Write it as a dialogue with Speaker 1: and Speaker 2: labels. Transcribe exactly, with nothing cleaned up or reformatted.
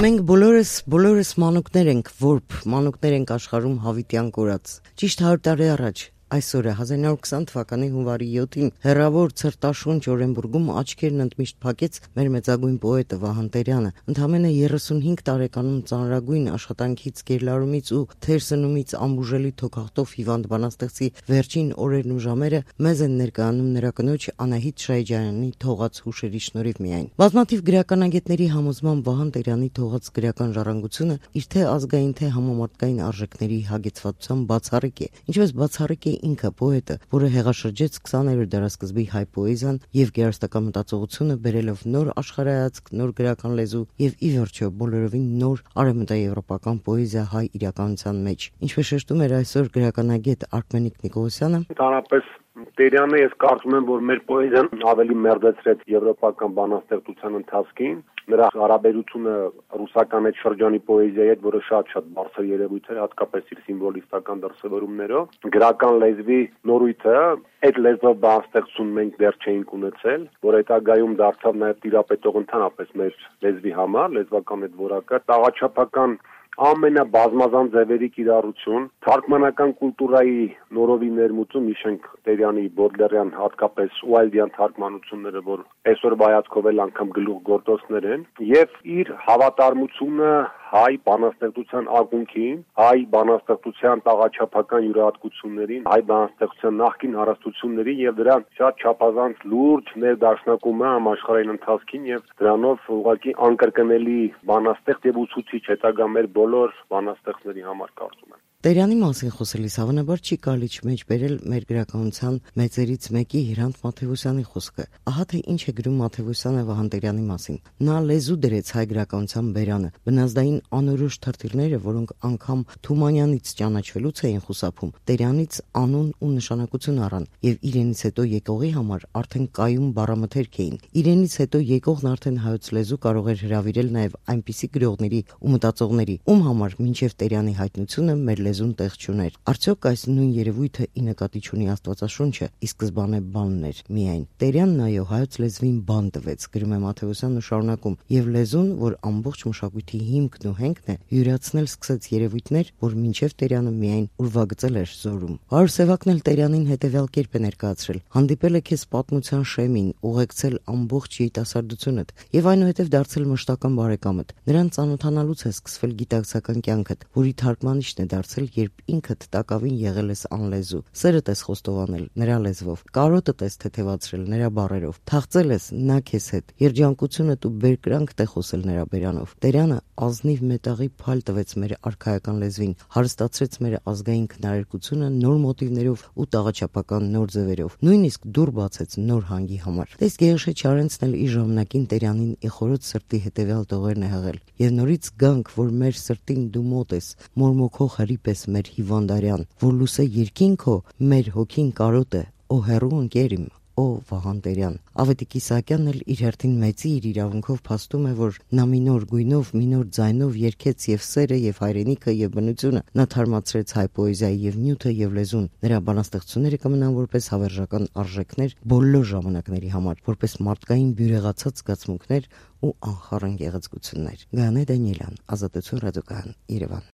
Speaker 1: Մենք բոլորս, բոլորս մանուկներ ենք, որբ մանուկներ ենք աշխարհում հավիտյան կորած։ Ճիշտ հարյուր տարի առաջ այսօրը հազար իննյակ հարյուր քսան թվականի հունվարի յոթին հեռավոր Ցրտաշունչ Օրենբուրգում աչքերն ընդմիշտ փակեց մեր մեծագույն պոետը Վահան Տերյանը։ Ընդամենը երեսունհինգ տարեկանում ծանրագույն աշխատանքից, գերլարումից ու թերսնումից ամբուժելի թոքախտով հիվանդ բանաստեղծի վերջին օրերն ու ժամերը մեզ են ներկայանում նրա կնոջ Անահիտ Շահիջարյանի թողած հուշերի շնորհիվ միայն։ Բազմաթիվ գրականագետների համոզմամբ Վահան Տերյանի թողած գրական ժառանգությունը իր թե ազգային, թե համամարտկային արժեքների հագեցվածության բացառիկ է, ինչպես բացառիկ է ինքը պոետը, որը հեղաշրջեց քսաներորդ դարասկզբի հայ պոեզիան եւ գեղարվեստական մտածողությունը բերելով նոր աշխարհայացք, նոր գրական լեզու եւ ի վերջո բոլորովին նոր արևմտաեվրոպական պոեզիա հայ իրականության մեջ։ Ինչպես շեշտում էր այսօր գրականագետ Արմենիկ Նիկոլոսյանը,
Speaker 2: ընդհանրապես Տերյանը ես կարծում եմ, որ մեր պոեզիան ավելի մերձեցրեց եվրոպական բանաստեղծության ընթացքին, նրա հարաբերությունը ռուսական այդ շրջանի պոեզիայի հետ, որը շատ-շատ բարձր երևույթ էր, հատկապես իր սիմվոլիստական դրսևորումներով, գրական լեզվի նորույթը, այդ լեզվով բանաստեղծություն մենք դեռ չէինք ունեցել, որ հետագայում դարձավ նաև տիրապետող ընդհանրապես մեր լեզվի համար, լեզվական այդ որակը, տաղաչափական ամենաբազմազան ձևերի կիրառություն, թարգմանական կուլտուրայի նորովի ներմուծում, հիշենք Տերյանի Բոդլերյան, հատկապես Ուայլդյան թարգմանությունները, որ այսօրվա հայացքով էլ անգամ գլուխգործոցներ են, եւ իր հավատարմությունը հայ բանաստեղծության ակունքին, հայ բանաստեղծության տաղաչափական յուրահատկություններին, հայ բանաստեղծության նախկին հարստություններին եւ դրա շատ չափազանց լուրջ ներդաշնակումը համաշխարհային ընթացքին եւ դրանով ուղղակի անկրկնելի բանաստեղծ եւ ուսուցիչ հետագա մեր բոլոր բանաստեղծների համար կարծում եմ։
Speaker 1: Տերյանի մասին խոսելիս հավանաբար չի կարելի չմեջ բերել մեր գրականության մեծերից մեկի Հրանտ Մաթեւոսյանի խոսքը։ Ահա թե ինչ է գրում Մաթեւոսյանը Վահան Տերյանի մասին։ Նա լեզու դրեց հայ գրականության բերանը, բնազդային անորոշ թրթիռները, որոնք անգամ Թումանյանից ճանաչվելուց էին խուսափում, Տերյանից անուն ու նշանակություն առան եւ իրենից հետո եկողի համար արդեն կայուն բառամթերք էին։ Իրենից հետո եկողն արդեն հայոց լեզու կարող էր հրավիրել նաեւ այնպիսի գրողների ու մտածողների, ում համար մինչեւ Տերյանի հայտնությունը մեր լեզուն տեղ չուներ։ Արդյոք այս նույն երևույթը ի նկատի ունի Աստվածաշունչը, ի սկզբանե բանն էր միայն։ Տերյանն այո հայոց լեզվին բան տվեց, գրում է Մաթեւոսյանն ու շարունակում, եւ լեզուն, որ ամբողջ մշակույթի հիմքն ու հենքն է, յուրացնել սկսեց երևույթներ, որ մինչև Տերյանը միայն ուրվագծել էր զորում։ Հարյուր Սևակն էլ Տերյանին հետևյալ կերպ է ներկայացրել. հանդիպել է քեզ պատմության շեմին, ուղեկցել ամբողջ երիտասարդությունդ եւ այնուհետեւ դարձել մշտական բարեկամդ։ Նրան ծանոթանալուց է սկսվել գիտակցական կյանքդ, որի թարգմանիչն է դարձել, երբ ինքդ տակավին եղել ես անլեզու, սերդ ես խոստովանել նրա լեզվով, կարոտդ ես թեթևացրել նրա բառերով, թաղծել ես նա քեզ հետ, երջանկությունդ ու բերկրանքդ է խոսել նրա բերանով։ Տերյանը ազնիվ մետաղի փալ տվեց մեր արքայական լեզվին, հարստացրեց մեր ազգային քնարերգությունը նոր մոտիվներով ու տաղաչափական նոր ձևերով, նույնիսկ դուռ բացեց նոր հանգի համար։ Տես Գեորգե Չարենցն էլ իր ժամանակին Տերյանին ի խորոց սրտի հետևյալ տողերն է հղել. եւ նորից գանք, որ մեր սրտին դու մոտ ես, մորմոքող հրի պես մեր հիվանդարյան, որ լուսե երկինքո մեր հոգին կարոտ է, օ հերու ընկեր իմ, օ Վահան Տերյան։ Ավետիք Իսահակյանն էլ իր հերթին մեծի իր իրավունքով փաստում է, որ նա մի նոր գույնով, մի նոր ձայնով երգեց եւ սերը եւ հայրենիքը եւ բնությունը, նա թարմացրեց հայ պոեզիայի եւ նյութը եւ լեզուն։ Նրա բանաստեղծությունները կմնան որպես հավերժական արժեքներ բոլոր ժամանակների համար, որպես մարդկային բյուրեղացած զգացմունքներ ու անխառն գեղեցկություններ։ Գաներ Դանիելյան, Ազատություն ռադիոկայան, Երևան։